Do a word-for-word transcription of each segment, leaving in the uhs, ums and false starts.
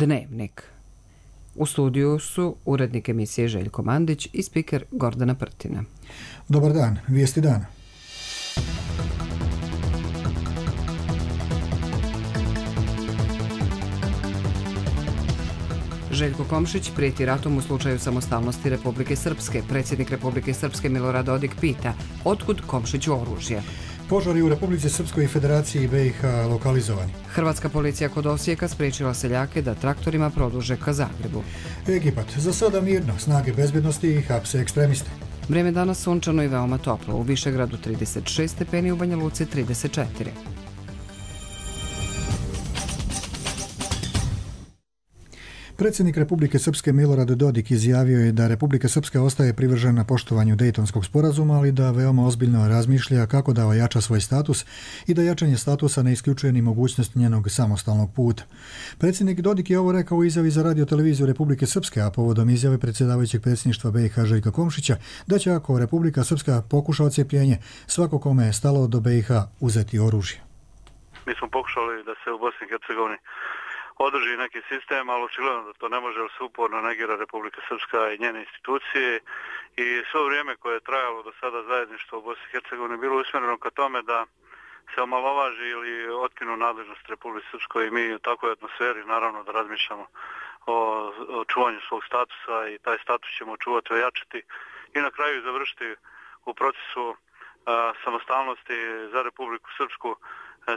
Dnevnik. U studiju su urednik emisije Željko Mandić i spiker Gordana Prtina. Dobar dan, vijesti dana. Željko Komšić prijeti ratom u slučaju samostalnosti Republike Srpske. Predsjednik Republike Srpske Milorad Dodik pita otkud Komšiću oružje. Požari u Republici Srpskoj i Federaciji B i H lokalizovani. Hrvatska policija kod Osijeka spriječila seljake da traktorima produže ka Zagrebu. Egipat, za sada mirno, snage bezbjednosti i hapse ekstremiste. Vrijeme danas sunčano i veoma toplo. U Višegradu trideset šest stepeni, u Banja Luci trideset četiri. Predsjednik Republike Srpske Milorad Dodik izjavio je da Republika Srpska ostaje privržena poštovanju Dejtonskog sporazuma, ali da veoma ozbiljno razmišlja kako da ojača svoj status i da jačanje statusa ne isključuje ni mogućnost njenog samostalnog puta. Predsjednik Dodik je ovo rekao u izjavi za radioteleviziju Republike Srpske, a povodom izjave predsjedavajućeg predsjedništva B i H Željka Komšića da će, ako Republika Srpska pokuša odcjepljenje, svako kome je stalo do B i H uzeti oružje. Mi smo pokušali da se u Bosni i Hercegovini održi neki sistem, ali očigledno da to ne može, jer se uporno negira Republika Srpska i njene institucije i svo vrijeme koje je trajalo do sada zajedništvo u Bosni i Hercegovini bilo usmjereno ka tome da se omalovaži ili otkinu nadležnost Republike Srpskoj i mi u takvoj atmosferi naravno da razmišljamo o, o čuvanju svog statusa i taj status ćemo čuvati, ojačati i na kraju završiti u procesu a, samostalnosti za Republiku Srpsku.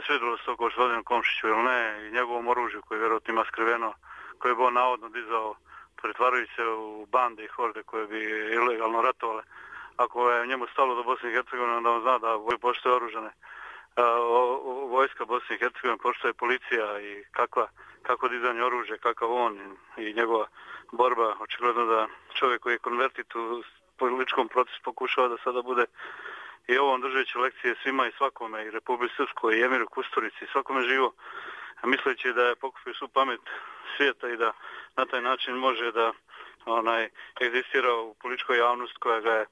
Svidjelo se to gospodinu Komšiću ili ne i njegovom oružju koji vjerojatno ima skriveno, koje bi on navodno dizao pretvarajući se u bande i horde koje bi ilegalno ratovale. Ako je njemu stalo do Bosne i Hercegovine, onda on zna da postoje oružane vojska Bosne i Hercegovine, postoje policija i kakva, kako dizanje oružja, kakav on i njegova borba. Očigledno da čovjek koji je konvertit u političkom procesu pokušava da sada bude i ovom držeći lekcije svima i svakome, i Republike Srpskoj, i Emiru Kusturici, i svakome živo, misleći da je pokupio svu pamet svijeta i da na taj način može da onaj egzistira u političkoj javnosti koja ga je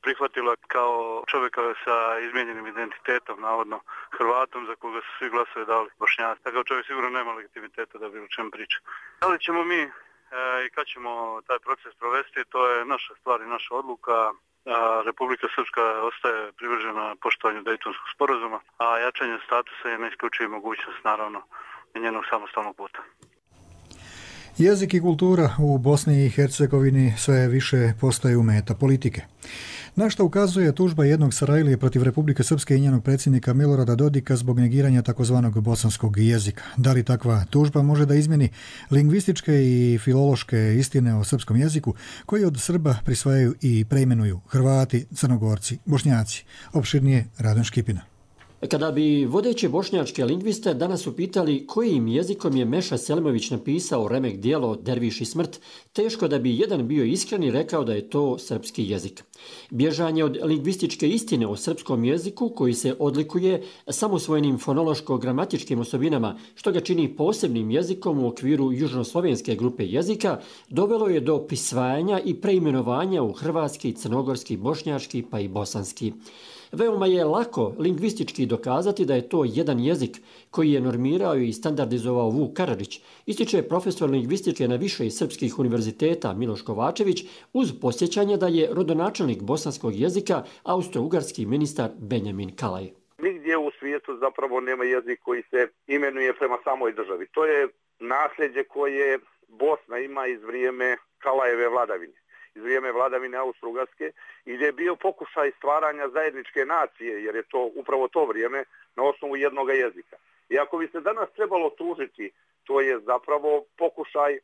prihvatila kao čovjeka sa izmijenjenim identitetom, navodno Hrvatom, za koga su svi glasovi dali Bošnjaci. Takav čovjek sigurno nema legitimiteta da bi o čem priča. Da li ćemo mi e, i kad ćemo taj proces provesti, to je naša stvar i naša odluka. A Republika Srpska ostaje privržena poštovanju Dejtonskog sporazuma, a jačanje statusa je ne isključuje mogućnost, naravno, njenog samostalnog puta. Jezik i kultura u Bosni i Hercegovini sve više postaju meta politike. Na što ukazuje tužba jednog Sarajlije protiv Republike Srpske i njenog predsjednika Milorada Dodika zbog negiranja takozvanog bosanskog jezika. Da li takva tužba može da izmjeni lingvističke i filološke istine o srpskom jeziku koji od Srba prisvajaju i preimenuju Hrvati, Crnogorci, Bošnjaci? Opširnije Radan Škipina. Kada bi vodeće bošnjačke lingviste danas upitali kojim jezikom je Meša Selimović napisao remek dijelo Derviš i smrt, teško da bi jedan bio iskren i rekao da je to srpski jezik. Bježanje od lingvističke istine o srpskom jeziku, koji se odlikuje samosvojnim fonološko-gramatičkim osobinama, što ga čini posebnim jezikom u okviru južnoslovenske grupe jezika, dovelo je do prisvajanja i preimenovanja u hrvatski, crnogorski, bošnjački pa i bosanski. Veoma je lako lingvistički dokazati da je to jedan jezik koji je normirao i standardizovao Vuk Karadžić, ističe profesor lingvistike na više srpskih univerziteta Miloš Kovačević, uz posjećanje da je rodonačelnik bosanskog jezika austro-ugarski ministar Benjamin Kalaj. Nigdje u svijetu zapravo nema jezik koji se imenuje prema samoj državi. To je nasljeđe koje Bosna ima iz vrijeme Kalajeve vladavine, iz vrijeme vladavine Austro-Ugarske, i gdje je bio pokušaj stvaranja zajedničke nacije, jer je to upravo to vrijeme na osnovu jednog jezika. I ako bi se danas trebalo tužiti, to je zapravo pokušaj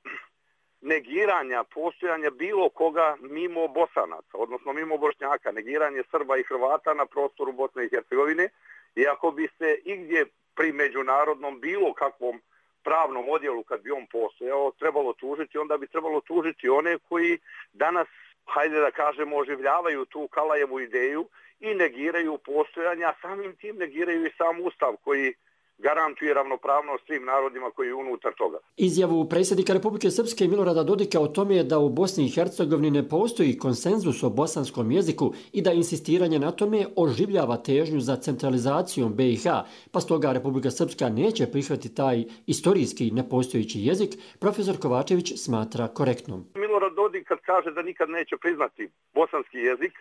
negiranja postojanja bilo koga mimo Bosanaca, odnosno mimo Bošnjaka, negiranje Srba i Hrvata na prostoru Bosne i Hercegovine. I ako bi se igdje pri međunarodnom bilo kakvom pravnom odjelu, kad bi on postojao, trebalo tužiti, onda bi trebalo tužiti one koji danas, hajde da kažemo, oživljavaju tu Kalajevu ideju i negiraju postojanja, a samim tim negiraju i sam Ustav koji garantuje ravnopravnost svim narodima koji je unutar toga. Izjavu predsjednika Republike Srpske Milorada Dodika o tome je da u Bosni i Hercegovini ne postoji konsenzus o bosanskom jeziku i da insistiranje na tome oživljava težnju za centralizacijom be i ha, pa stoga Republika Srpska neće prihvatiti taj istorijski nepostojeći jezik, profesor Kovačević smatra korektnom. Milorad Dodik kad kaže da nikad neće priznati bosanski jezik,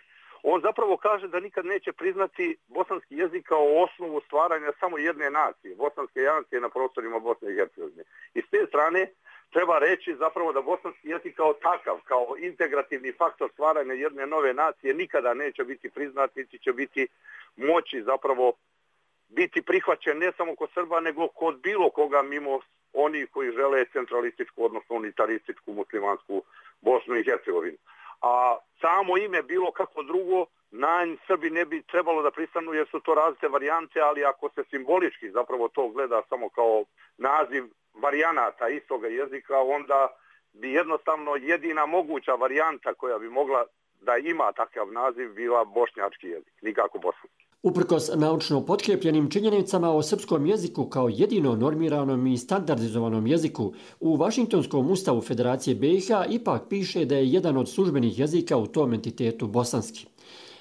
on zapravo kaže da nikad neće priznati bosanski jezik kao osnovu stvaranja samo jedne nacije, bosanske nacije na prostorima Bosne i Hercegovine. I s te strane treba reći zapravo da bosanski jezik kao takav, kao integrativni faktor stvaranja jedne nove nacije nikada neće biti priznat, niti će biti moći zapravo biti prihvaćen ne samo kod Srba, nego kod bilo koga mimo onih koji žele centralističku, odnosno unitarističku muslimansku Bosnu i Hercegovinu. A samo ime bilo kako drugo, na Srbi ne bi trebalo da pristanu jer su to različite varijante, ali ako se simbolički zapravo to gleda samo kao naziv varijanata istoga jezika, onda bi jednostavno jedina moguća varijanta koja bi mogla da ima takav naziv bila bošnjački jezik, nikako bosanski. Uprkos naučno potkrepljenim činjenicama o srpskom jeziku kao jedino normiranom i standardizovanom jeziku, u Vašingtonskom ustavu Federacije be i ha ipak piše da je jedan od službenih jezika u tom entitetu bosanski.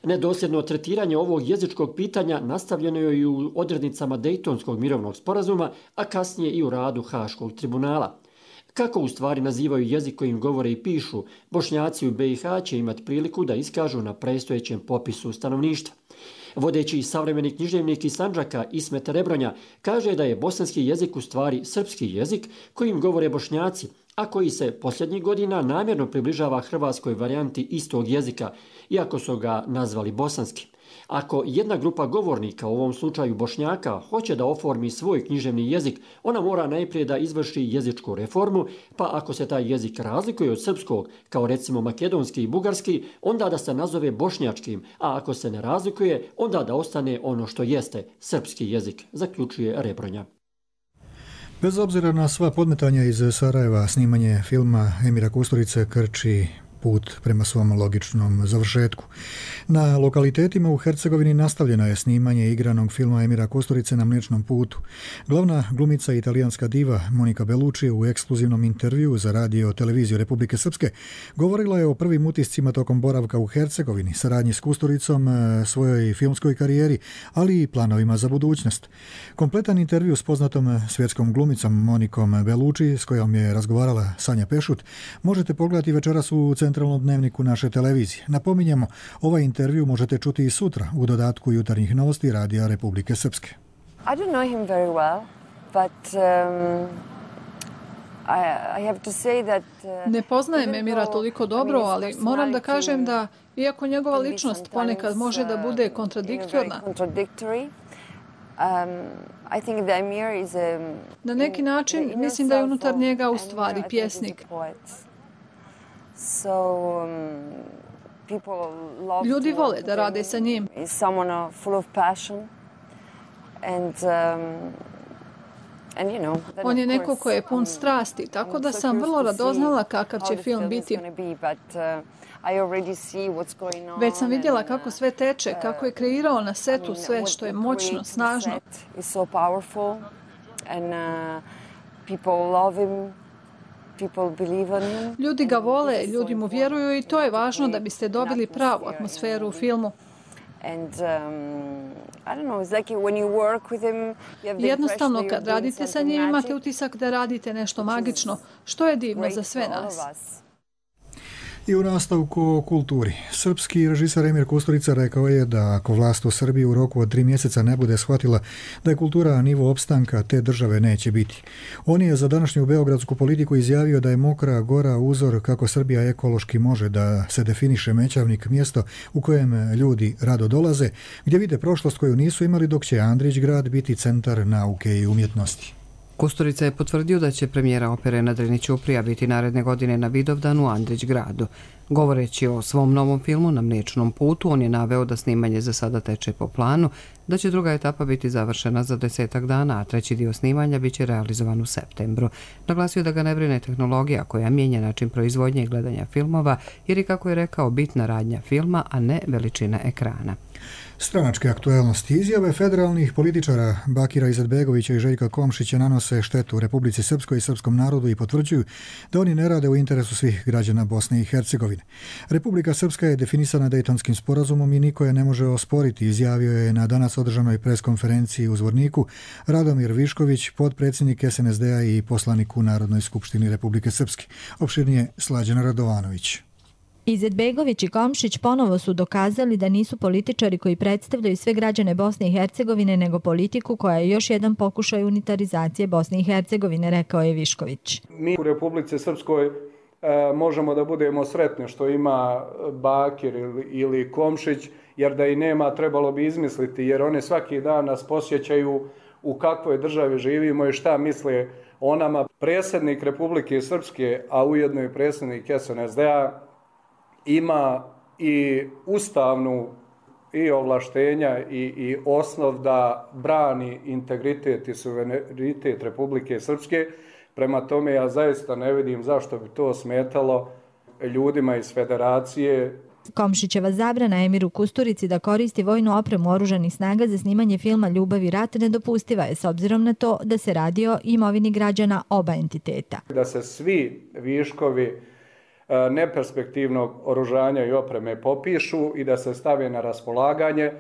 Nedosljedno tretiranje ovog jezičkog pitanja nastavljeno je i u odrednicama Dejtonskog mirovnog sporazuma, a kasnije i u radu Haškog tribunala. Kako u stvari nazivaju jezik kojim govore i pišu, Bošnjaci u be i ha će imati priliku da iskažu na predstojećem popisu stanovništva. Vodeći savremeni književnik iz Sandžaka Ismet Rebronja kaže da je bosanski jezik u stvari srpski jezik kojim govore Bošnjaci, a koji se posljednjih godina namjerno približava hrvatskoj varijanti istog jezika, iako su ga nazvali bosanski. Ako jedna grupa govornika, u ovom slučaju Bošnjaka, hoće da oformi svoj književni jezik, ona mora najprije da izvrši jezičku reformu, pa ako se taj jezik razlikuje od srpskog, kao recimo makedonski i bugarski, onda da se nazove bošnjačkim, a ako se ne razlikuje, onda da ostane ono što jeste, srpski jezik, zaključuje Rebronja. Bez obzira na sva podmetanja iz Sarajeva, snimanje filma Emira Kusturice krči put prema svom logičnom završetku. Na lokalitetima u Hercegovini nastavljeno je snimanje igranog filma Emira Kusturice na Mliječnom putu. Glavna glumica i italijanska diva Monika Bellucci u ekskluzivnom intervjuu za radio televiziju Republike Srpske govorila je o prvim utiscima tokom boravka u Hercegovini, saradnji s Kusturicom, svojoj filmskoj karijeri, ali i planovima za budućnost. Kompletan intervju s poznatom svjetskom glumicom Monikom Bellucci, s kojom je razgovarala Sanja Pešut, možete pogledati večeras u centralnom dnevniku naše televizije. Napominjemo, ovaj intervju možete čuti i sutra u dodatku jutarnjih novosti Radija Republike Srpske. I don't know him very well, but um, I, I have to say that uh, ne poznajem Emira toliko dobro, ali moram da kažem da iako njegova ličnost ponekad može da bude kontradiktorna, na neki način mislim da je unutar njega u stvari pjesnik. Ljudi vole da rade sa njim. On je neko ko je pun strasti, tako da sam vrlo radoznala kakav će film biti. Već sam vidjela kako sve teče, kako je kreirao na setu sve što je moćno, snažno. Ljudi ga vole, ljudi mu vjeruju i to je važno da biste dobili pravu atmosferu u filmu. Jednostavno, kad radite sa njim, imate utisak da radite nešto magično, što je divno za sve nas. I u nastavku o kulturi. Srpski režiser Emir Kusturica rekao je da ako vlast u Srbiji u roku od tri mjeseca ne bude shvatila da je kultura nivo opstanka, te države neće biti. On je za današnju beogradsku politiku izjavio da je Mokra Gora uzor kako Srbija ekološki može da se definiše Mećavnik, mjesto u kojem ljudi rado dolaze, gdje vide prošlost koju nisu imali, dok će Andrić grad biti centar nauke i umjetnosti. Kusturica je potvrdio da će premijera opere na Drini Ćuprija biti naredne godine na Vidovdanu u Andrić gradu. Govoreći o svom novom filmu Na Mliječnom putu, on je naveo da snimanje za sada teče po planu, da će druga etapa biti završena za desetak dana, a treći dio snimanja bit će realizovan u septembru. Naglasio da ga ne brine tehnologija koja mijenja način proizvodnje i gledanja filmova, jer je, kako je rekao, bitna radnja filma, a ne veličina ekrana. Stranačke aktuelnosti. Izjave federalnih političara Bakira Izetbegovića i Željka Komšića nanose štetu Republici Srpskoj i srpskom narodu i potvrđuju da oni ne rade u interesu svih građana Bosne i Hercegovine. Republika Srpska je definisana Dejtonskim sporazumom i niko je ne može osporiti, izjavio je na danas održanoj preskonferenciji u Zvorniku Radomir Višković, potpredsjednik S N S D-a i poslanik u Narodnoj skupštini Republike Srpske. Opširnije Slađana Radovanović. Izetbegović i Komšić ponovo su dokazali da nisu političari koji predstavljaju sve građane Bosne i Hercegovine, nego politiku koja je još jedan pokušaj unitarizacije Bosne i Hercegovine, rekao je Višković. Mi u Republici Srpskoj e, možemo da budemo sretni što ima Bakir ili, ili Komšić, jer da i nema trebalo bi izmisliti, jer one svaki dan nas posjećaju u kakvoj državi živimo i šta misle o nama. Predsjednik Republike Srpske, a ujedno i predsjednik S N S D-a, ima i ustavnu i ovlaštenja i, i osnov da brani integritet i suverenitet Republike Srpske. Prema tome ja zaista ne vidim zašto bi to smetalo ljudima iz federacije. Komšićeva zabrana Emiru Kusturici da koristi vojnu opremu oružanih snaga za snimanje filma Ljubav i rat nedopustiva je, s obzirom na to da se radi o imovini građana oba entiteta. Da se svi viškovi neperspektivnog oružanja i opreme popišu i da se stave na raspolaganje,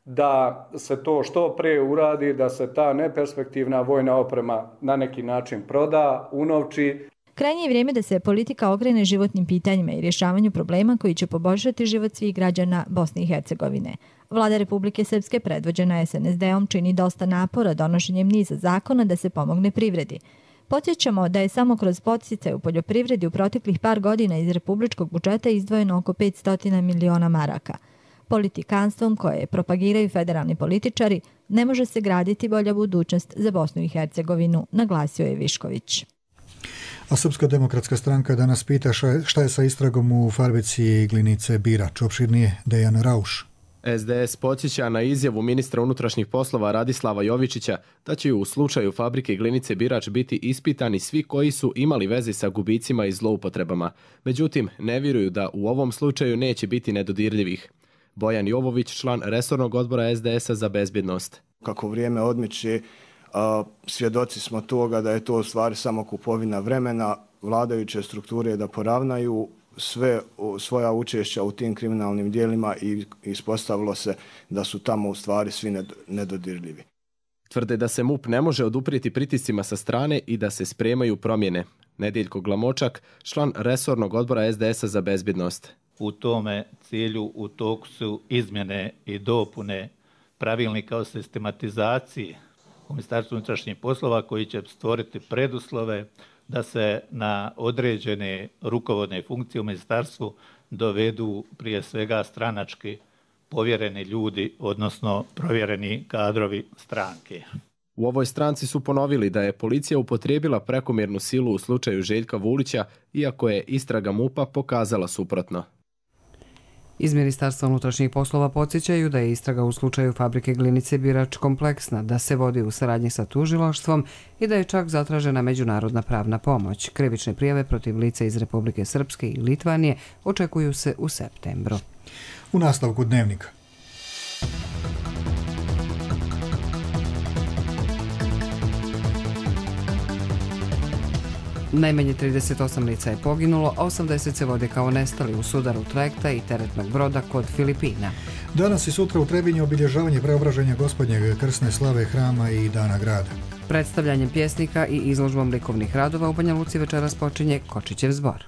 da se to što pre uradi, da se ta neperspektivna vojna oprema na neki način proda, unovči. Krajnje je vrijeme da se politika okrene životnim pitanjima i rješavanju problema koji će poboljšati život svih građana Bosne i Hercegovine. Vlada Republike Srpske, predvođena S N S D-om, čini dosta napora donošenjem niza zakona da se pomogne privredi. Podsjećamo da je samo kroz podsticaje u poljoprivredi u proteklih par godina iz republičkog budžeta izdvojeno oko petsto miliona maraka. Politikanstvom koje propagiraju federalni političari ne može se graditi bolja budućnost za Bosnu i Hercegovinu, naglasio je Višković. A Srpska demokratska stranka danas pita šta je sa istragom u fabrici Glinice Birač. Opširnije Dejan Rauš. S D S podsjeća na izjavu ministra unutrašnjih poslova Radislava Jovičića da će u slučaju fabrike Glinice Birač biti ispitani svi koji su imali veze sa gubicima i zloupotrebama. Međutim, ne vjeruju da u ovom slučaju neće biti nedodirljivih. Bojan Jovović, član resornog odbora S D S-a za bezbjednost. Kako vrijeme odmiče, svjedoci smo toga da je to u stvari samo kupovina vremena, vladajuće strukture da poravnaju sve svoja učešća u tim kriminalnim dijelima i ispostavilo se da su tamo u stvari svi nedodirljivi. Tvrde da se M U P ne može oduprijeti pritiscima sa strane i da se spremaju promjene. Nedeljko Glamočak, član resornog odbora S D S-a za bezbjednost. U tome cilju u toku su izmjene i dopune pravilnika o sistematizaciji u Ministarstvu unutrašnjih poslova koji će stvoriti preduslove da se na određene rukovodne funkcije u ministarstvu dovedu prije svega stranački povjereni ljudi, odnosno provjereni kadrovi stranke. U ovoj stranci su ponovili da je policija upotrijebila prekomjernu silu u slučaju Željka Vulića, iako je istraga M U P-a pokazala suprotno. Iz Ministarstva unutrašnjih poslova podsjećaju da je istraga u slučaju fabrike Glinice Birač kompleksna, da se vodi u saradnji sa tužilaštvom i da je čak zatražena međunarodna pravna pomoć. Krivične prijave protiv lica iz Republike Srpske i Litvanije očekuju se u septembru. U nastavku dnevnika. Najmanje trideset osam lica je poginulo, a osamdeset se vode kao nestali u sudaru trajekta i teretnog broda kod Filipina. Danas i sutra u Trebinju obilježavanje preobraženja Gospodnjeg krsne slave hrama i Dana grada. Predstavljanjem pjesnika i izložbom likovnih radova u Banja Luci večeras počinje Kočićev zbor.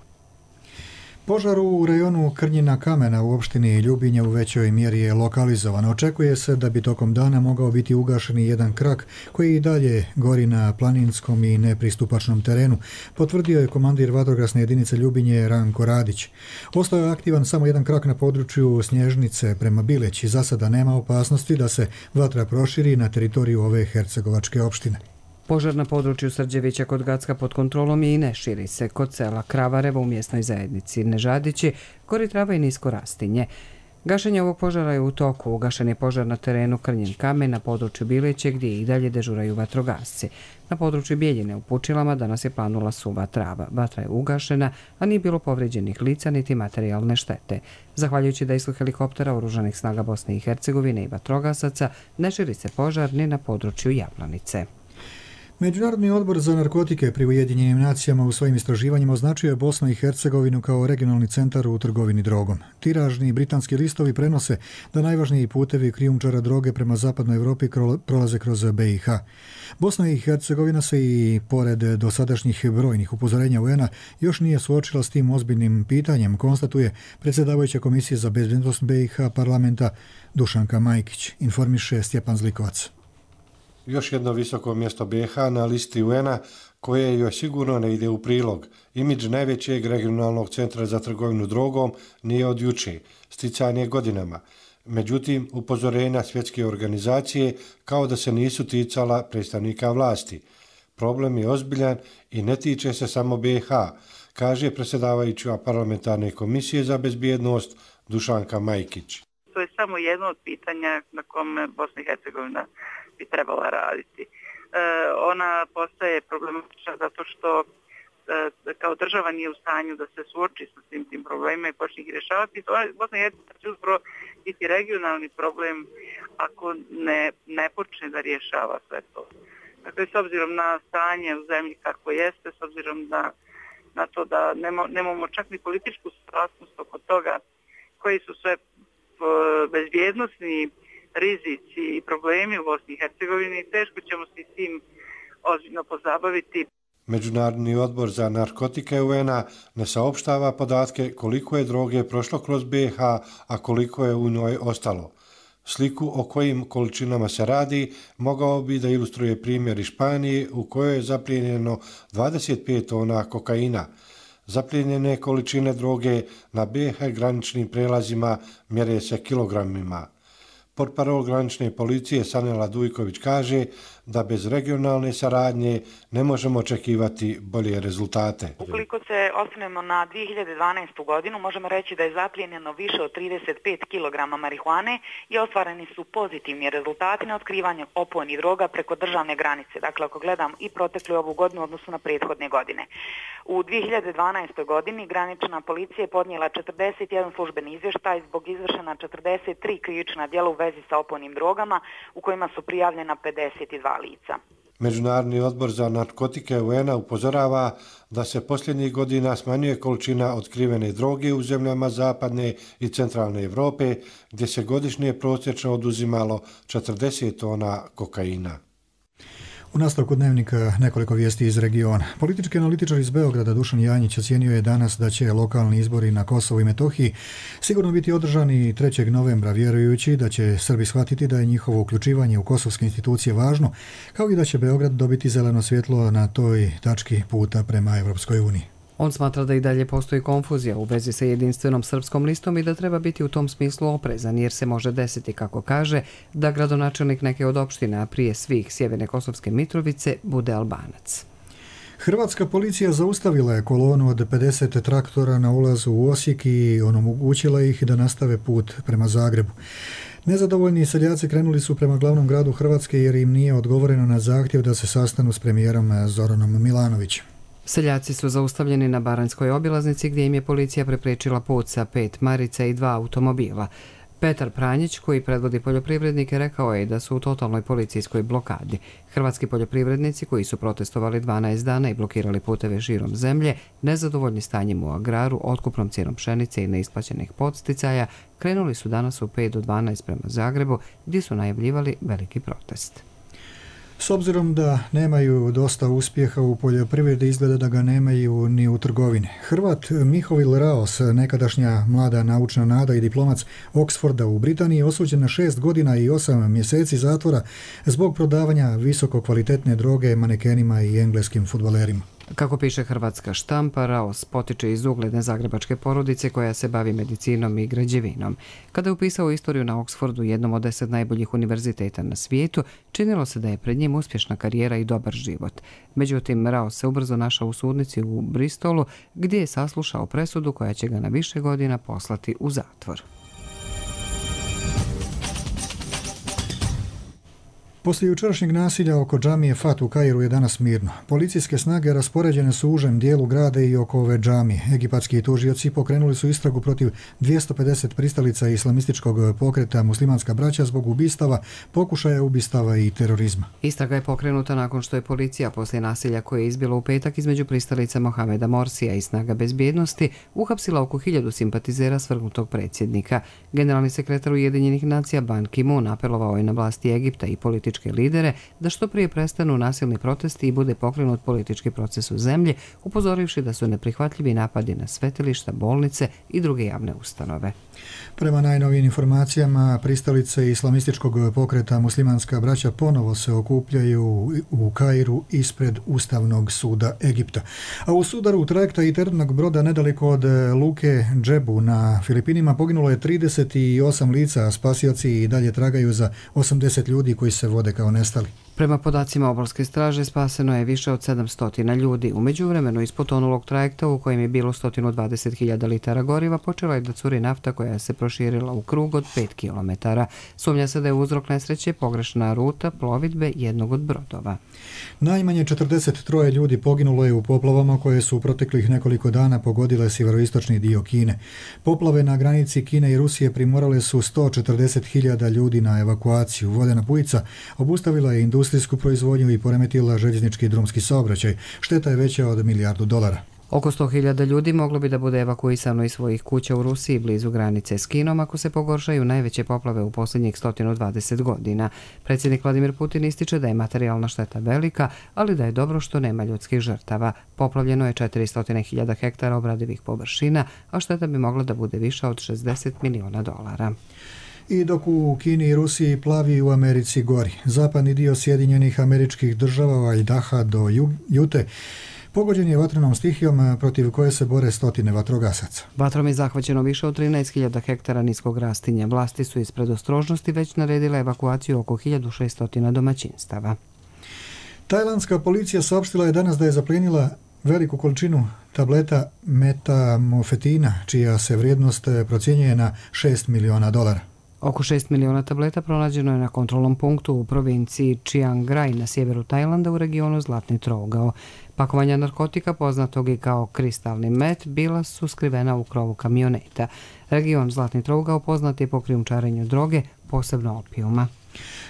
Požar u rajonu Krnjina Kamena u opštini Ljubinje u većoj mjeri je lokalizovan. Očekuje se da bi tokom dana mogao biti ugašen jedan krak koji i dalje gori na planinskom i nepristupačnom terenu, potvrdio je komandir vatrogasne jedinice Ljubinje Ranko Radić. Ostao je aktivan samo jedan krak na području Snježnice prema Bileći. Za sada nema opasnosti da se vatra proširi na teritoriju ove hercegovačke opštine. Požar na području Srđevića kod Gacka pod kontrolom je i ne širi se. Kod sela Kravarevo u mjesnoj zajednici Nežadići gori trava i nisko rastinje. Gašenje ovog požara je u toku. Ugašen je požar na terenu Krnjen kamen na području Bileće gdje i dalje dežuraju vatrogasci. Na području Bijeljine u Pučilama danas je planula suva trava. Vatra je ugašena, a nije bilo povrijeđenih lica niti materijalne štete. Zahvaljujući dejstvu helikoptera Oružanih snaga Bosne i Hercegovine i vatrogasaca, ne širi se požar ni na području Jablanice. Međunarodni odbor za narkotike pri Ujedinjenim nacijama u svojim istraživanjima označio je Bosnu i Hercegovinu kao regionalni centar u trgovini drogom. Tiražni britanski listovi prenose da najvažniji putevi krijumčara droge prema zapadnoj Europi prolaze kroz B i H. Bosna i Hercegovina se i pored dosadašnjih brojnih upozorenja U N-a još nije suočila s tim ozbiljnim pitanjem, konstatuje predsjedavajuća Komisije za bezbednost B i H parlamenta Dušanka Majkić, informiše Stjepan Zlikovac. Još jedno visoko mjesto B i H na listi U N-a koje joj sigurno ne ide u prilog. Imidž najvećeg regionalnog centra za trgovinu drogom nije od juče, sticanje godinama. Međutim, upozorenja svjetske organizacije kao da se nisu ticala predstavnika vlasti. Problem je ozbiljan i ne tiče se samo B i H, kaže predsjedavajuća parlamentarne komisije za bezbjednost Dušanka Majkić. To je samo jedno od pitanja na kome Bosna i Hercegovina bi trebala raditi. E, ona postaje problematična zato što e, kao država nije u stanju da se suoči sa svim tim problemima i počne ih rješavati. Bosna i Hercegovina će upravo biti regionalni problem ako ne, ne počne da rješava sve to. Dakle, s obzirom na stanje u zemlji kako jeste, s obzirom na, na to da nemo, nemamo čak ni političku saglasnost oko toga koji su sve bezbjednosni rizici i problemi u Bosni i Hercegovini, teško ćemo se s tim ozbiljno pozabaviti. Međunarodni odbor za narkotike U N-a ne saopštava podatke koliko je droge prošlo kroz B i H, a koliko je u njoj ostalo. Sliku o kojim količinama se radi mogao bi da ilustruje primjer iz Španije u kojoj je zaplijenjeno dvadeset pet tona kokaina. Zaplijenjene količine droge na B i H graničnim prelazima mjere se kilogramima. Portparol granične policije Sanela Dujković kaže da bez regionalne saradnje ne možemo očekivati bolje rezultate. Ukoliko se osvrnemo na dvije hiljade dvanaestu godinu, možemo reći da je zaplijenjeno više od trideset pet kilograma marihuane i ostvareni su pozitivni rezultati na otkrivanje opojnih droga preko državne granice. Dakle, ako gledam i proteklu ovu godinu odnosno na prethodne godine. U dvije hiljade dvanaestoj godini granična policija je podnijela četrdeset jedan službeni izvještaj zbog izvršena četrdeset tri krivična djela u vezi sa opojnim drogama u kojima su prijavljena pedeset dva lica. Međunarodni odbor za narkotike U N-a upozorava da se posljednjih godina smanjuje količina otkrivene droge u zemljama zapadne i centralne Europe, gdje se godišnje prosječno oduzimalo četrdeset tona kokaina. U nastavku dnevnika nekoliko vijesti iz regiona. Politički analitičar iz Beograda Dušan Janjić ocijenio je danas da će lokalni izbori na Kosovu i Metohiji sigurno biti održani trećeg novembra, vjerujući da će Srbi shvatiti da je njihovo uključivanje u kosovske institucije važno, kao i da će Beograd dobiti zeleno svjetlo na toj tački puta prema Evropskoj uniji. On smatra da i dalje postoji konfuzija u vezi sa jedinstvenom srpskom listom i da treba biti u tom smislu oprezan, jer se može desiti, kako kaže, da gradonačelnik neke od opština, prije svih Sjeverne Kosovske Mitrovice, bude Albanac. Hrvatska policija zaustavila je kolonu od pedeset traktora na ulazu u Osijek i onemogućila ih da nastave put prema Zagrebu. Nezadovoljni seljaci krenuli su prema glavnom gradu Hrvatske jer im nije odgovoreno na zahtjev da se sastanu s premijerom Zoranom Milanovićem. Seljaci su zaustavljeni na Baranjskoj obilaznici gdje im je policija preprečila put sa pet marica i dva automobila. Petar Pranjić, koji predvodi poljoprivrednike, rekao je da su u totalnoj policijskoj blokadi. Hrvatski poljoprivrednici, koji su protestovali dvanaest dana i blokirali puteve širom zemlje, nezadovoljni stanjem u agraru, otkupnom cijenom pšenice i neisplaćenih podsticaja, krenuli su danas u pet do dvanaest prema Zagrebu, gdje su najavljivali veliki protest. S obzirom da nemaju dosta uspjeha u poljoprivredi, izgleda da ga nemaju ni u trgovini. Hrvat Mihovil Raos, nekadašnja mlada naučna nada i diplomac Oxforda u Britaniji, osuđen na šest godina i osam mjeseci zatvora zbog prodavanja visoko kvalitetne droge manekenima i engleskim fudbalerima. Kako piše hrvatska štampa, Raos potiče iz ugledne zagrebačke porodice koja se bavi medicinom i građevinom. Kada je upisao istoriju na Oxfordu, jednom od deset najboljih univerziteta na svijetu, činilo se da je pred njim uspješna karijera i dobar život. Međutim, Raos se ubrzo našao u sudnici u Bristolu, gdje je saslušao presudu koja će ga na više godina poslati u zatvor. Poslije jučerašnjeg nasilja oko džamije Fat u Kairu je danas mirno. Policijske snage raspoređene su u užem dijelu grada i oko ove džamije. Egipatski tužioci pokrenuli su istragu protiv dvjesto pedeset pristalica islamističkog pokreta Muslimanska braća zbog ubistava, pokušaja ubistava i terorizma. Istraga je pokrenuta nakon što je policija poslije nasilja koje je izbilo u petak između pristalica Mohameda Morsija i snaga bezbjednosti uhapsila oko hiljadu simpatizera svrgnutog predsjednika. Generalni sekretar Ujedinjenih nacija Ban Ki-moon apelovao je na vlasti Egipta i političke lidere da što prije prestanu nasilni protesti i bude pokrenut politički proces u zemlji, upozorivši da su neprihvatljivi napadi na svetilišta, bolnice i druge javne ustanove. Prema najnovijim informacijama, pristalice islamističkog pokreta Muslimanska braća ponovo se okupljaju u Kairu ispred Ustavnog suda Egipta. A u sudaru trajekta i teretnog broda nedaleko od luke Džebu na Filipinima poginulo je trideset osam lica, a spasioci i dalje tragaju za osamdeset ljudi koji se vode kao nestali. Prema podacima obalske straže spaseno je više od sedamsto ljudi. U međuvremenu iz potonulog trajekta u kojem je bilo sto dvadeset hiljada litara goriva počela je da curi nafta koja se proširila u krug od pet kilometara. Sumnja se da je uzrok nesreće pogrešna ruta plovidbe jednog od brodova. Najmanje četrdeset tri ljudi poginulo je u poplavama koje su u proteklih nekoliko dana pogodile sjeveroistočni dio Kine. Poplave na granici Kine i Rusije primorale su sto četrdeset hiljada ljudi na evakuaciju. Vodena bujica obustavila je industrijsku proizvodnju i poremetila željeznički i drumski saobraćaj. Šteta je veća od milijardu dolara. Oko sto hiljada ljudi moglo bi da bude evakuisano iz svojih kuća u Rusiji blizu granice s Kinom ako se pogoršaju najveće poplave u posljednjih sto dvadeset godina. Predsjednik Vladimir Putin ističe da je materijalna šteta velika, ali da je dobro što nema ljudskih žrtava. Poplavljeno je četiristo hiljada hektara obradivih površina, a šteta bi mogla da bude viša od šezdeset miliona dolara. I dok u Kini i Rusiji plavi, u Americi gori. Zapadni dio Sjedinjenih Američkih Država, od Idaha do Jute, pogođen je vatrenom stihijom protiv koje se bore stotine vatrogasaca. Vatrom je zahvaćeno više od trinaest hiljada hektara niskog rastinja. Vlasti su iz predostrožnosti već naredile evakuaciju oko hiljadu šesto domaćinstava. Tajlandska policija saopštila je danas da je zaplijenila veliku količinu tableta metamfetina, čija se vrijednost procjenjuje na šest miliona dolara. Oko šest miliona tableta pronađeno je na kontrolnom punktu u provinciji Chiang Rai na sjeveru Tajlanda u regionu Zlatni trougao. Pakovanja narkotika, poznatog i kao kristalni met, bila su skrivena u krovu kamioneta. Region Zlatni trougao poznat je po krijumčarenju droge, posebno opijuma.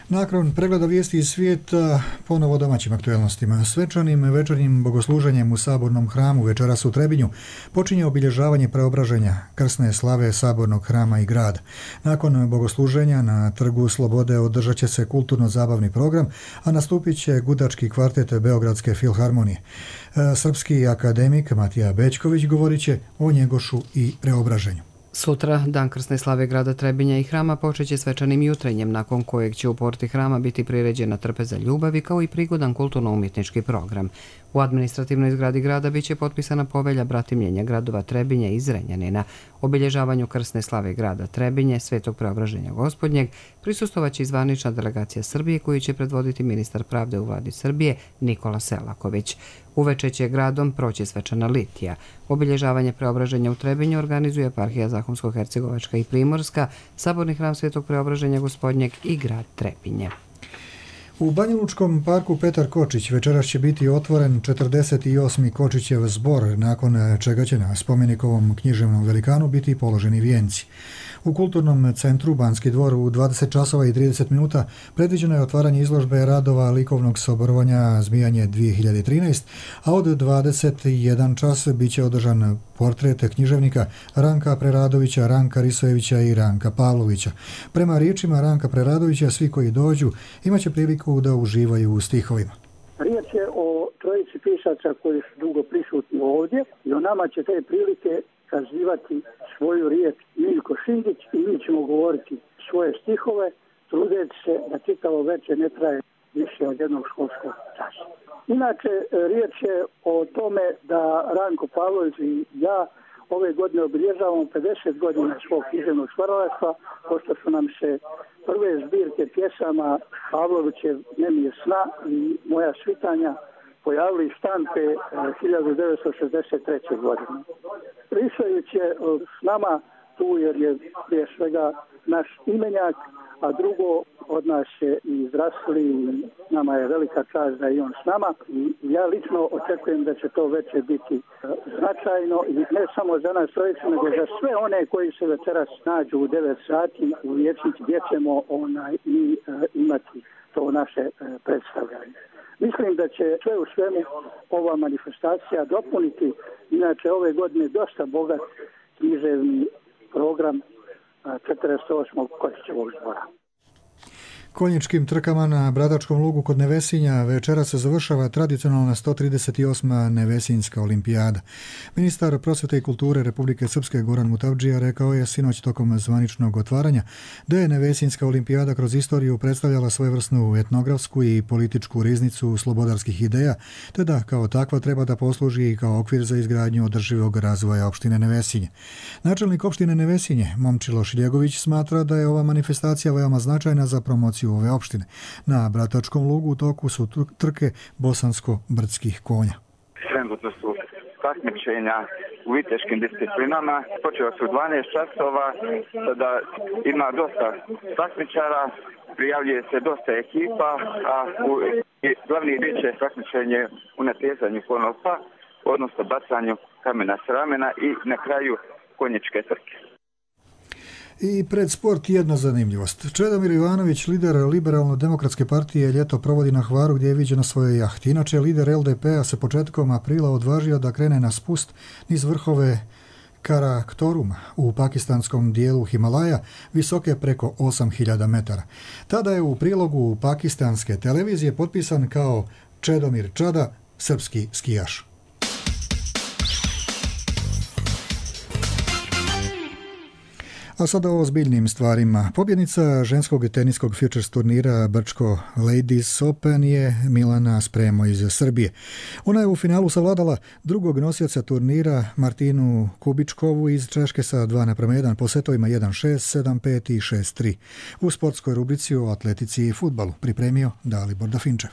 Nakon pregleda vijesti iz svijeta, ponovo domaćim aktualnostima. Svečanim večernjim bogosluženjem u Sabornom hramu večeras u Trebinju počinje obilježavanje preobraženja krsne slave Sabornog hrama i grada. Nakon bogosluženja na Trgu Slobode održat će se kulturno-zabavni program, a nastupit će gudački kvartet Beogradske filharmonije. Srpski akademik Matija Bećković govorit će o Njegošu i preobraženju. Sutra, dan krsne slave grada Trebinja i hrama, počeće svečanim jutrenjem, nakon kojeg će u porti hrama biti priređena trpeza ljubavi kao i prigodan kulturno-umjetnički program. U administrativnoj zgradi grada biće potpisana povelja bratimljenja gradova Trebinja i Zrenjanina. Obilježavanju krsne slave grada Trebinje, Svetog preobraženja Gospodnjeg, prisustovat će zvanična delegacija Srbije koju će predvoditi ministar pravde u vladi Srbije Nikola Selaković. Uveče će gradom proći svečana litija. Obilježavanje preobraženja u Trebinju organizuje eparhija Zahumsko-Hercegovačka i Primorska, Saborni hram Svetog preobraženja Gospodnjeg i grad Trebinje. U Banjalučkom parku Petar Kočić večeras će biti otvoren četrdeset osmi Kočićev zbor, nakon čega će na spomenikovom književnom velikanu biti položeni vijenci. U kulturnom centru Banski dvor u dvadeset časova i trideset minuta predviđeno je otvaranje izložbe radova likovnog saborovanja Zmijanje dvije hiljade trinaest, a od dvadeset jedan čas bit će održan portret književnika Ranka Preradovića, Ranka Risojevića i Ranka Pavlovića. Prema riječima Ranka Preradovića, svi koji dođu imaće priliku da uživaju u stihovima. Riječ je o trojici pisaca koji su dugo prisutni ovdje i o nama će te prilike kazivati svoju riječ Miljko Šindić i mi ćemo govoriti svoje stihove, trudeći se da čitavo večer ne traje više od jednog školskog časa. Inače, riječ je o tome da Ranko Pavlović i ja ove godine obilježavamo pedeset godina svog književnog stvaralaštva, pošto su nam se prve zbirke pjesama Pavlovićev Nemije sna i Moja svitanja pojavili iz štampe hiljadu devetsto šezdeset treće. godine. Risojević je s nama tu jer je prije svega naš imenjak, a drugo, od nas je i zdravstveni, nama je velika čast da je on s nama i ja lično očekujem da će to veće biti značajno i ne samo za nas trojicu, nego za sve one koji se večeras nađu u devet sati u Vijećnici gdje ćemo onaj, i uh, imati to naše uh, predstavljanje. Mislim da će sve u svemu ova manifestacija dopuniti, inače ove godine dosta bogat književni program četrdeset osmog Kočićevog zbora. Konjičkim trkama na Bradačkom lugu kod Nevesinja večera se završava tradicionalna sto trideset osma Nevesinjska olimpijada. Ministar prosvjete i kulture Republike Srpske Goran Mutavdžija rekao je sinoć tokom zvaničnog otvaranja da je Nevesinjska olimpijada kroz istoriju predstavljala svojevrsnu etnografsku i političku riznicu slobodarskih ideja, te da kao takva treba da posluži i kao okvir za izgradnju održivog razvoja opštine Nevesinje. Načelnik opštine Nevesinje, Momčilo Šiljegović, smatra da je ova manifestacija veoma značajna za promociju ove opštine. Na Bratačkom lugu u toku su trke bosansko-brdskih konja. Trenutno su takmičenja u viteškim disciplinama. Počeo su u dvanaest časova, da ima dosta takmičara, prijavljuje se dosta ekipa, a u, glavni bit će takmičenje u natjezanju konopa, odnosno bacanju kamena s ramena i na kraju konjičke trke. I pred sport jedna zanimljivost. Čedomir Ivanović, lider Liberalno-demokratske partije, ljeto provodi na Hvaru gdje je viđen na svojoj jahti. Inače, lider L D P-a se početkom aprila odvažio da krene na spust niz vrhove Karaktoruma u pakistanskom dijelu Himalaja, visoke preko osam hiljada metara. Tada je u prilogu pakistanske televizije potpisan kao Čedomir Čada, srpski skijaš. A sada o ozbiljnim stvarima. Pobjednica ženskog teniskog futures turnira Brčko Ladies Open je Milana Spremo iz Srbije. Ona je u finalu savladala drugog nosioca turnira Martinu Kubičkovu iz Češke sa dva naprema jedan po setovima jedan šest, sedam pet i šest tri. U sportskoj rubrici o atletici i fudbalu pripremio Dalibor Dafinčev.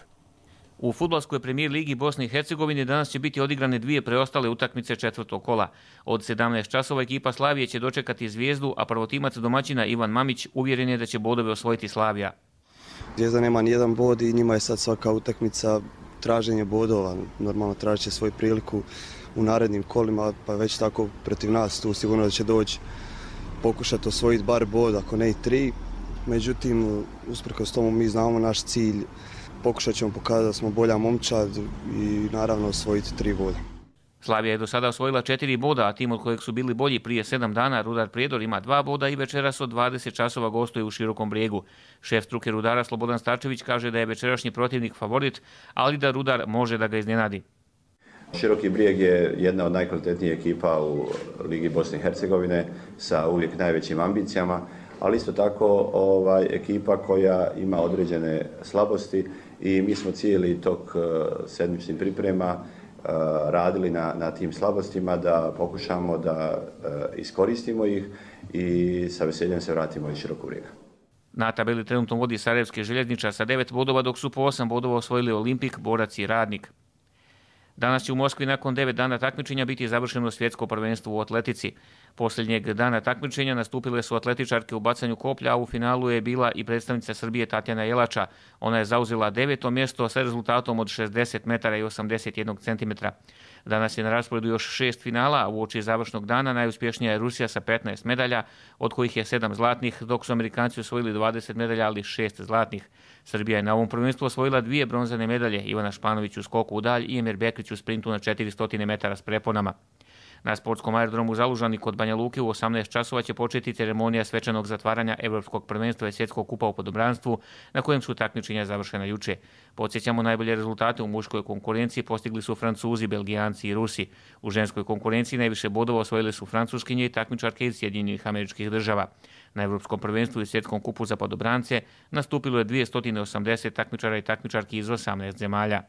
U fudbalskoj premijer ligi Bosne i Hercegovine danas će biti odigrane dvije preostale utakmice četvrtog kola. Od sedamnaest časova ekipa Slavije će dočekati Zvijezdu, a prvotimac domaćina Ivan Mamić uvjeren je da će bodove osvojiti Slavija. Zvijezda nema nijedan bod i njima je sad svaka utakmica traženje bodova. Normalno tražit će svoju priliku u narednim kolima, pa već tako protiv nas tu sigurno da će doći pokušati osvojiti bar bod, ako ne i tri. Međutim, usprkos tomu mi znamo naš cilj. Pokušat ćemo pokazati da smo bolja momčad i naravno osvojiti tri boda. Slavija je do sada osvojila četiri boda, a tim od kojeg su bili bolji prije sedam dana, Rudar Prijedor ima dva boda i večeras od dvadeset časova gostuje u Širokom Brijegu. Šef struke Rudara Slobodan Starčević kaže da je večerašnji protivnik favorit, ali da Rudar može da ga iznenadi. Široki Brijeg je jedna od najkvalitetnijih ekipa u Ligi Bosne i Hercegovine sa uvijek najvećim ambicijama, ali isto tako ovaj, ekipa koja ima određene slabosti i mi smo cijeli tok sedmičnih priprema uh, radili na, na tim slabostima da pokušamo da uh, iskoristimo ih i sa veseljem se vratimo iz Širokog Brijega. Na tabeli trenutno vodi Sarajevski željezničar sa devet bodova, dok su po osam bodova osvojili Olimpik, Borac i Radnik. Danas će u Moskvi nakon devet dana takmičenja biti završeno svjetsko prvenstvo u atletici. Posljednjeg dana takmičenja nastupile su atletičarke u bacanju koplja, a u finalu je bila i predstavnica Srbije Tatjana Jelača. Ona je zauzela deveto mjesto sa rezultatom od šezdeset metara i osamdeset jedan centimetra. Danas je na rasporedu još šest finala, a uoči završnog dana najuspješnija je Rusija sa petnaest medalja, od kojih je sedam zlatnih, dok su Amerikanci osvojili dvadeset medalja, ali šest zlatnih. Srbija je na ovom prvenstvu osvojila dvije bronzane medalje, Ivana Španović u skoku u dalj i Emir Bekrić u sprintu na četiristo metara s preponama. Na sportskom aerodromu Zalužani kod Banja Luke u osamnaest časova će početi ceremonija svečanog zatvaranja Evropskog prvenstva i svjetskog kupa u podobranstvu, na kojem su takmičenja završena juče. Podsjećamo, najbolje rezultate u muškoj konkurenciji postigli su Francuzi, Belgijanci i Rusi. U ženskoj konkurenciji najviše bodova osvojili su Francuskinje i takmičarke iz Sjedinjenih Američkih Država. Na Evropskom prvenstvu i svjetskom kupu za podobrance nastupilo je dvjesto osamdeset takmičara i takmičarki iz osamnaest zemalja.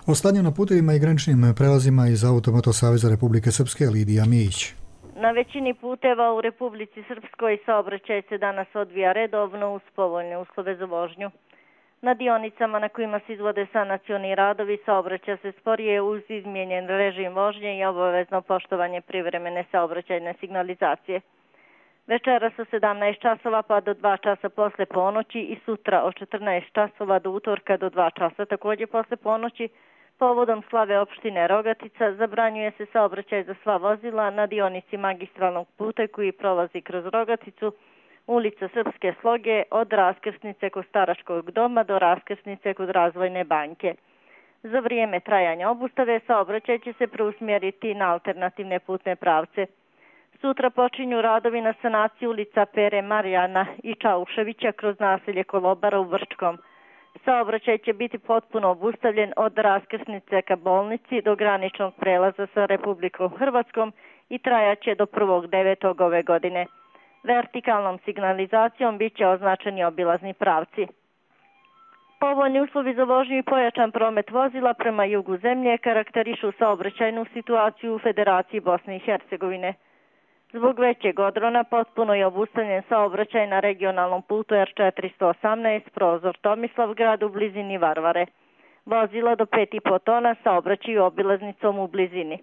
O stanju na putevima i graničnim prelazima iz Automoto Saveza Republike Srpske Lidija Mijić. Na većini puteva u Republici Srpskoj saobraćaj se danas odvija redovno uz povoljne uslove za vožnju. Na dionicama na kojima se izvode sanacioni radovi saobraća se sporije uz izmijenjen režim vožnje i obavezno poštovanje privremene saobraćajne signalizacije. Večeras od sedamnaest časova pa do dva časa posle ponoći i sutra od četrnaest časova do utorka do dva časa također posle ponoći. Povodom slave opštine Rogatica zabranjuje se saobraćaj za sva vozila na dionici magistralnog puta koji prolazi kroz Rogaticu, ulica Srpske sloge od raskrsnice kod Staračkog doma do raskrsnice kod Razvojne banke. Za vrijeme trajanja obustave saobraćaj će se preusmjeriti na alternativne putne pravce. Sutra počinju radovi na sanaciji ulica Pere Marijana i Čauševića kroz naselje Kolobara u Vrčkom. Saobraćaj će biti potpuno obustavljen od raskrsnice ka bolnici do graničnog prelaza sa Republikom Hrvatskom i trajaće do prvog devetog ove godine. Vertikalnom signalizacijom bit će označeni obilazni pravci. Povoljni uslovi za vožnju i pojačan promet vozila prema jugu zemlje karakterišu saobraćajnu situaciju u Federaciji Bosne i Hercegovine. Zbog većeg odrona potpuno je obustavljen saobraćaj na regionalnom putu R četiristo osamnaest prozor Tomislavgrad u blizini Varvare. Vozila do pet i po tona saobraćaju obilaznicom u blizini.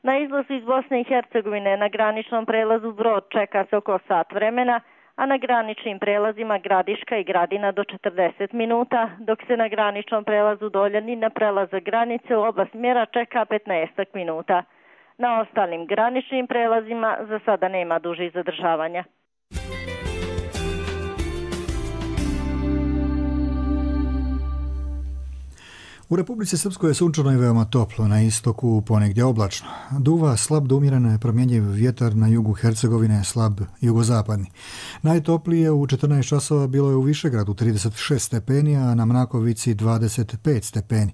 Na izlazu iz Bosne i Hercegovine na graničnom prelazu Brod čeka se oko sat vremena, a na graničnim prelazima Gradiška i Gradina do četrdeset minuta, dok se na graničnom prelazu Doljani na prelaza granice u oba smjera čeka petnaest minuta. Na ostalim graničnim prelazima za sada nema dužih zadržavanja. U Republici Srpskoj je sunčano i veoma toplo, na istoku ponegdje oblačno. Duva slab do umjereno je promjenjiv vjetar, na jugu Hercegovine slab jugozapadni. Najtoplije u četrnaest časova bilo je u Višegradu trideset šest stepeni, a na Mrakovici dvadeset pet stepeni.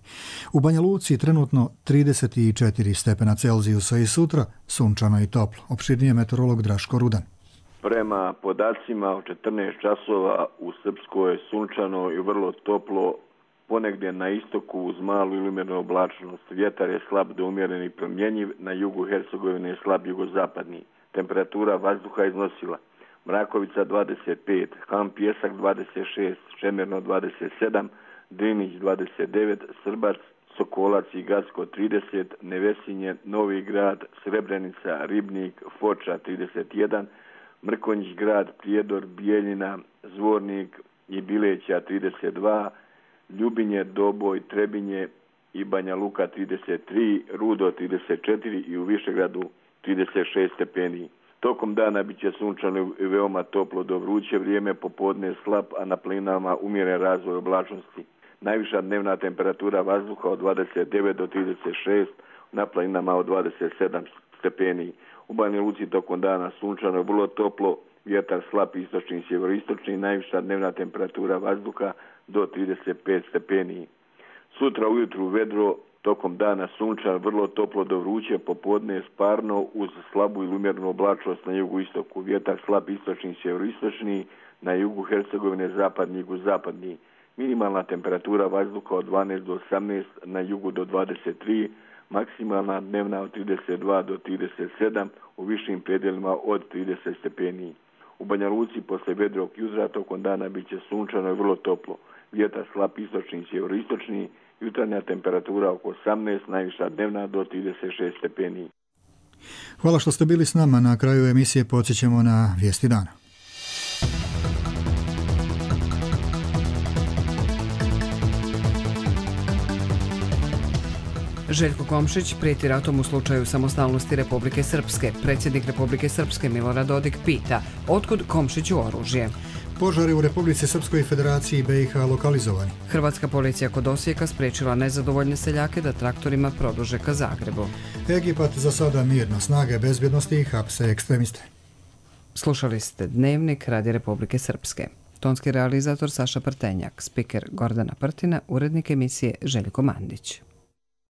U Banja Luci trenutno trideset četiri stepena Celzijusa i sutra sunčano i toplo. Opširnije meteorolog Draško Rudan. Prema podacima od četrnaest časova u Srpskoj je sunčano i vrlo toplo, ponegdje na istoku uz malu ili umjerenu oblačnost. Vjetar je slab do umjeren i promjenjiv, na jugu Hercegovine je slab jugozapadni. Temperatura vazduha iznosila Mrakovica dvadeset pet, Ham Pjesak dvadeset šest, Šemerno dvadeset sedam, Drinić dvadeset devet, Srbac, Sokolac i Gacko trideset, Nevesinje, Novi Grad, Srebrenica, Ribnik, Foča trideset jedan, Mrkonjić Grad, Prijedor, Bijeljina, Zvornik i Bileća trideset dva, Ljubinje, Doboj, Trebinje i Banja Luka trideset tri, Rudo trideset četiri i u Višegradu trideset šest stepeni. Tokom dana bit će sunčano i veoma toplo do vruće vrijeme, popodne slab, a na planinama umjeren razvoj oblačnosti. Najviša dnevna temperatura vazduha od dvadeset devet do trideset šest, na planinama od dvadeset sedam stepeni. U Banja Luci tokom dana sunčano je vrlo toplo, vjetar slab istočni i sjeveroistočni, najviša dnevna temperatura vazduha do trideset pet stepeni. Sutra ujutru vedro, tokom dana sunčan, vrlo toplo do vruće, popodne sparno uz slabu ili umjerenu oblačnost na jugu istoku. Vjetar slab istočni i sjeveroistočni, na jugu Hercegovine zapadni i jugozapadni. Minimalna temperatura vazduha od dvanaest do osamnaest, na jugu do dvadeset tri, maksimalna dnevna od trideset dva do trideset sedam, u višim predjelima od trideset stepeni. U Banja Luci posle vedrog jutra tokom dana bit će sunčano i vrlo toplo. Vjetar slab istočni i sjeveroistočni, jutarnja temperatura oko osamnaest, najviša dnevna do trideset šest stepeni. Hvala što ste bili s nama. Na kraju emisije podsjećamo na vijesti dana. Željko Komšić prijeti ratom u slučaju samostalnosti Republike Srpske. Predsjednik Republike Srpske Milorad Dodik pita otkud Komšiću oružje. Požari u Republici Srpskoj Federaciji B i H lokalizovani. Hrvatska policija kod Osijeka spriječila nezadovoljne seljake da traktorima produže ka Zagrebu. Egipat za sada mirno, snage bezbjednosti i hapse ekstremiste. Slušali ste Dnevnik Radi Republike Srpske. Tonski realizator Saša Prtenjak, spiker Gordana Prtina, urednik emisije Željko Mandić.